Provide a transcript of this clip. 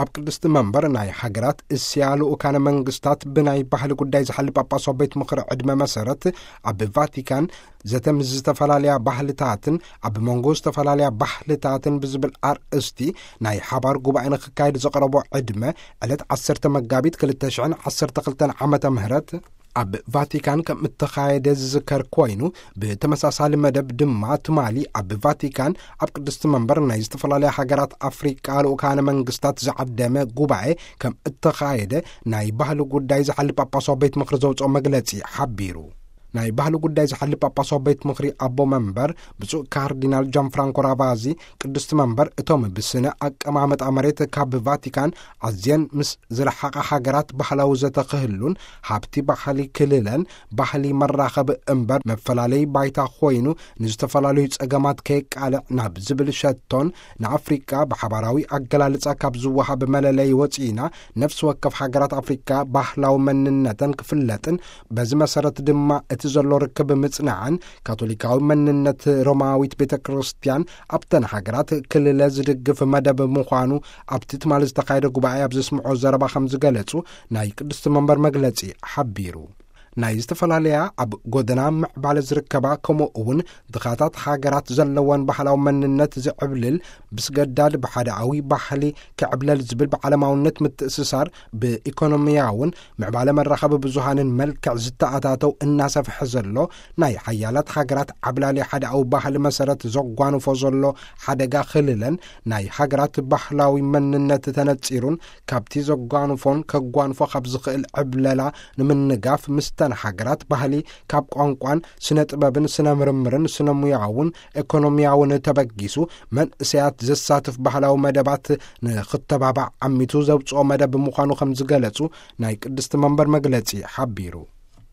ኣብ ቅድስቲ መንበር ናይ ሃገራት እስያ ልኡካነ መንግስታት ብናይ ባህሊ ጉዳይ ዝሓሊ ጳጳሳዊ ቤት ምኽሪ ዕድመ መሰረት፣ ኣብ ቫቲካን ዘተ ምስ ዝተፈላለያ ባህልታትን ኣብ መንጎ ዝተፈላለያ ባህልታትን ብዝብል ኣርእስቲ ናይ ሓባር ጉባኤ ንክካየድ ዘቕረቦ ዕድመ፣ ዕለት ዓሰርተ መጋቢት ክልተ ሽሕን ዓሰርተ ክልተን ዓመተ ምህረት ኣብ ቫቲካን ከም እተኻየደ ዝዝከር ኮይኑ፣ ብተመሳሳሊ መደብ ድማ ትማሊ ኣብ ቫቲካን ኣብ ቅድስቲ መንበር ናይ ዝተፈላለያ ሃገራት ኣፍሪቃ ልኡካነ መንግስታት ዝዓደመ ጉባኤ ከም እተኻየደ ናይ ባህሊ ጉዳይ ዝሓሊ ጳጳሳዊ ቤት ምኽሪ ዘውፅኦ መግለጺ ሓቢሩ። ናይ ባህሊ ጉዳይ ዝሓሊ ጳጳሳዊ ቤት ምኽሪ ኣቦ መንበር ብፁዕ ካርዲናል ጃን ፍራንኮ ራቫዚ፣ ቅድስቲ መንበር እቶም ብስነ ኣቀማመጣ መሬት ካብ ቫቲካን ኣዝየን ምስ ዝረሓቓ ሃገራት ባህላዊ ዘተ ክህሉን፣ ሃብቲ ባህሊ ክልለን ባህሊ መራኸቢ እምበር መፈላለይ ባይታ ኮይኑ ንዝተፈላለዩ ጸገማት ከየቃልዕ ናብ ዝብል ሸቶን፣ ንኣፍሪቃ ብሓባራዊ ኣገላልጻ ካብ ዝወሃብ መለለይ ወጺእና፣ ነፍሲ ወከፍ ሃገራት ኣፍሪቃ ባህላዊ መንነተን ክፍለጥን፣ በዚ መሰረት ድማ እቲ ዘሎ ርክብ ምጽናዕን፣ ካቶሊካዊ መንነት ሮማዊት ቤተ ክርስቲያን ኣብተን ሃገራት ክልለ ዝድግፍ መደብ ምዃኑ ኣብቲ ትማሊ ዝተኻየደ ጉባኤ ኣብ ዘስምዖ ዘረባ ከም ዝገለጹ ናይ ቅድስቲ መንበር መግለጺ ሓቢሩ። ናይ ዝተፈላለያ ኣብ ጎደና ምዕባለ ዝርከባ፣ ከምኡ እውን ድኻታት ሃገራት ዘለወን ባህላዊ መንነት ዝዕብልል፣ ብስገዳድ ብሓደኣዊ ባህሊ ክዕብለል ዝብል ብዓለማውነት ምትእስሳር፣ ብኢኮኖሚያውን ምዕባለ መራኸቢ ብዙሃንን መልክዕ ዝተኣታተው እናሰፍሐ ዘሎ፣ ናይ ሓያላት ሃገራት ዓብላሊ ሓደኣዊ ባህሊ መሰረት ዘጓንፎ ዘሎ ሓደጋ ክልለን፣ ናይ ሃገራት ባህላዊ መንነት ተነጺሩን፣ ካብቲ ዘጓንፎን ከጓንፎ ካብ ዝኽእል ዕብለላ ንምንጋፍ፣ ምስተን ሃገራት ባህሊ ካብ ቋንቋን ስነ ጥበብን ስነ ምርምርን ስነ ሙያውን ኤኮኖሚያውን ተበጊሱ፣ መንእሰያት ዘሳትፍ ባህላዊ መደባት ንክተባባዕ ዓሚቱ ዘውፅኦ መደብ ምዃኑ ከም ዝገለጹ ናይ ቅድስቲ መንበር መግለጺ ሓቢሩ።